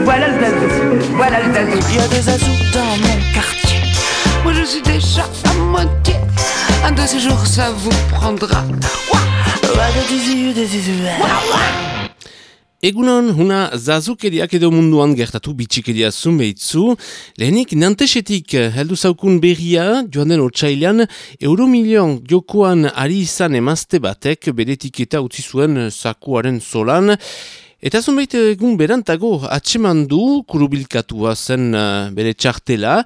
Voilà le zazou, voilà le zazou. Il y a des zazous dans mon quartier. Moi je suis déjà à moitié. Un de ces jours ça vous prendra. Egunon, huna zazukeriak edo munduan gertatu bitxikeria zunbeitzu. Lehenik, Nantesetik heldu zaukun berria, joan den otsailean, euromilion jokoan ari izan emazte batek bere etiketa utzi zuen zakuaren zolan. Eta zunbait egun berantago atseman du, kurubilkatua zen bere txartela.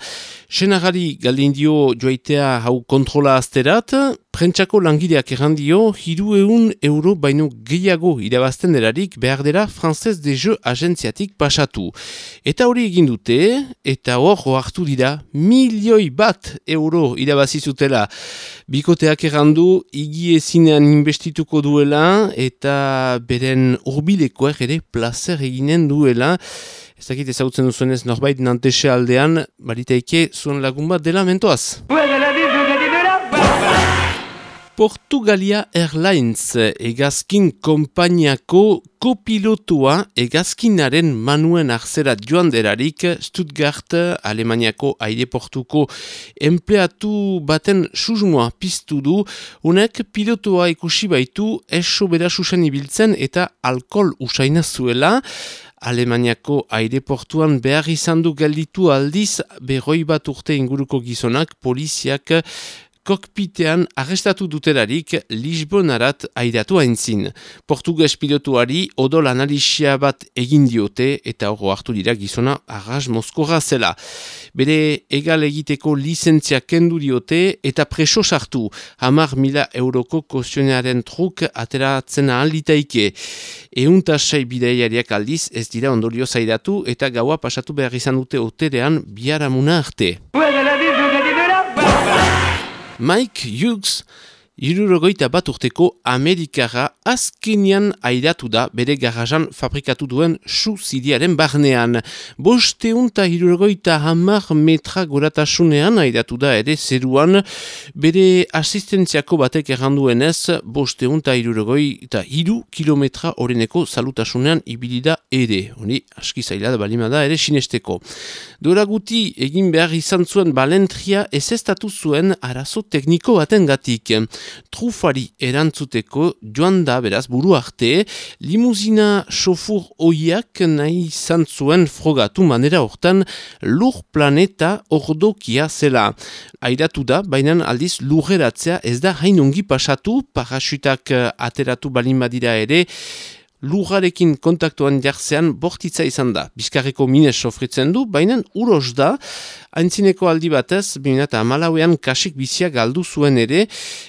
Senagari galdin dio joaitea hau kontrola azterat, prentsako langileak errandio, 300 euro baino gehiago irabazten delarik behar dela Française des Jeux agentziatik pasatu. Eta hori egin dute, eta hor hartu dira, 1.000.000 euro irabazizutela. Bikoteak errandu, igi ezinean investituko duela, eta beren urbilekoak ere placer eginen duela. Ez dakit ezagutzen duzuenez norbait Nantese aldean, baritaike zuen lagun bat dela mentoaz. Portugalia Airlines hegazkin konpainiako kopilotua hegazkinaren manuen arzerat joan derarik Stuttgart, Alemaniako aireportuko empleatu baten susmoa piztu du, unek pilotua ikusi baitu eso bera susen ibiltzen eta alkohol usaina zuela. Alemaniako aireportuan behar izan du gelditu aldiz 100 urte inguruko gizonak poliziak kokpitean arrestatu dutelarik Lisbonarat airatu aintzin. Portugues pilotuari odol analisia bat egin diote eta hor hartu dira gizona arras mozkorra zela. Bere egal egiteko lizentzia kendu diote eta preso sartu. 10.000 euroko kozionaren truk ateratzen ahal litaike. 106 bidaiariak aldiz ez dira ondorio zairatu eta gaua pasatu behar izan dute hoterean biharamuna arte. Mike Hughes, 61 urteko Amerikara azkenian airatu da bere garajan fabrikatu duen su-zidiaren barnean. 570 metra goratasunean airatu da ere zeruan, bere asistentziako batek erranduenez 573 kilometra oreneko salutasunean ibilida ere. Honi aski zaila da balimada ere sinesteko. Dora guti egin behar izan zuen balentria ezestatu zuen arazo tekniko batengatik. Trufari erantzuteko joan da beraz buru arte, limuzina sofur oiak nahi izan zuen frogatu manera hortan lur planeta ordokia zela. Airatu da, baina aldiz lurreratzea ez da hain ongi pasatu, parasutak ateratu balin badira ere, lurrarekin kontaktuan jartzean bortitza izan da. Bizkarreko minez sofritzen du, baina uros da, aintzineko aldi batez, 2014an kasik bizia galdu zuen ere,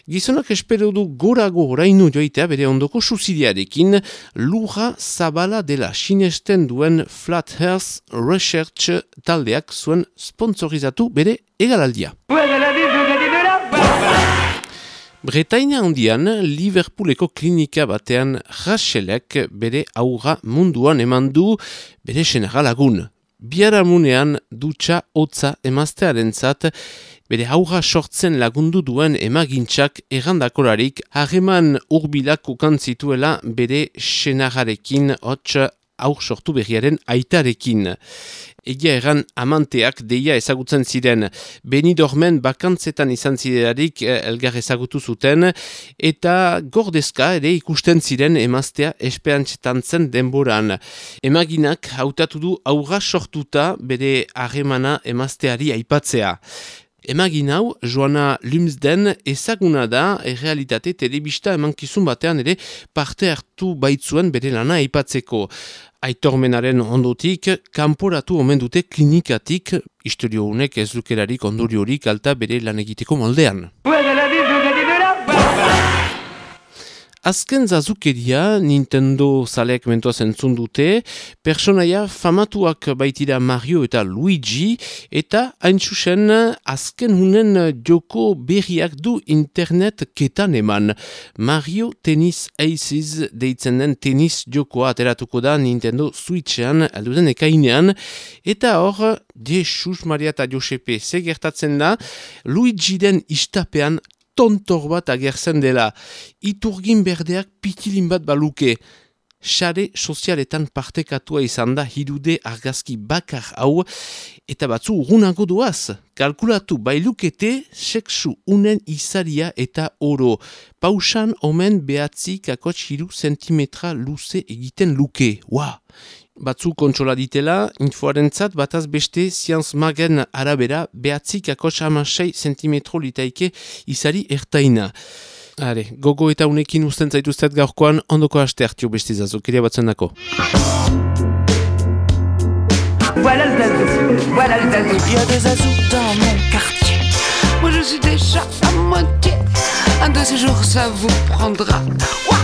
gizonak espero du gorago orainu joitea bere ondoko suzidiarekin, lurra zabala dela sinesten duen Flat Earth Research taldeak zuen sponsorizatu bere egalaldia. Bretaina handian, Liverpooleko klinika batean Rachelek bere aurra munduan eman du bere senarra lagun. Biharamunean dutxa hotza emaztearentzat bere aurra sortzen lagundu duen emagintzak errandakolarik harreman hurbilak ukan zituela bere senarrarekin hots aur sortu berriaren aitarekin. Egia erran amanteak deia ezagutzen ziren. Benidormen bakantzetan izan ziderarik elgar ezagutu zuten eta gordezka ere ikusten ziren emaztea esperantzetan zen denboran. Emaginak hautatu du aurra sortuta bere harremana emazteari aipatzea. Emagin hau, Joana Lumsden ezaguna da errealitate telebista emankizun batean ere parte hartu baitzuen bere lana aipatzeko. Aitormenaren ondotik, kanporatu omen dute klinikatik, istorio honek ez lukerarik ondoriorik alta bere lan egiteko moldean. Azken zazukeria Nintendo zaleak mentoaz entzun dute, personaia famatuak baitira Mario eta Luigi, eta hain zuzen azken hunen joko berriak du internet ketan eman. Mario Tennis Aces deitzen den tenis jokoa ateratuko da Nintendo Switchean alduden ekainean, eta hor, Jesus Maria eta Josepe segertatzen da, Luigi den istapean tontor bat agertzen dela. Iturgin berdeak pitilin bat baluke. sare sozialetan partekatua izan da 3D argazki bakar hau, eta batzu urrunago doaz. Kalkulatu bailukete sexu unen izaria eta oro. Pausan omen 9,3 zentimetra luze egiten luke. Batzu kontsola ditela, infoarentzat bataz beste Science Magen arabera 9,6 zentimetro litaike izari ertaina. Are, gogo eta unekin usten zaituztet gaurkoan, ondoko haste hartio beste zazokeria batzen dako. Voilà le zazou. Il y a des azous dans mon quartier. Moi je suis déjà à moitié. Un de ces jours ça vous prendra. Ouah.